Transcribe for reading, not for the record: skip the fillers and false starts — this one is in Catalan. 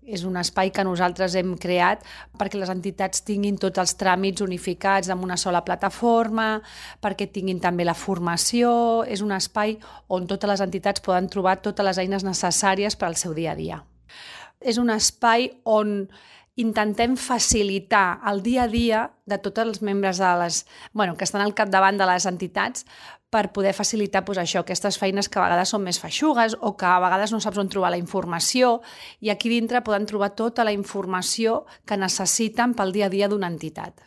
És un espai que nosaltres hem creat perquè les entitats tinguin tots els tràmits unificats en una sola plataforma, perquè tinguin també la formació. És un espai on totes les entitats poden trobar totes les eines necessàries per al seu dia a dia. És un espai on intentem facilitar el dia a dia de tots els membres que estan al capdavant de les entitats per poder facilitar aquestes feines que a vegades són més feixugues o que a vegades no saps on trobar la informació, i aquí dintre poden trobar tota la informació que necessiten pel dia a dia d'una entitat.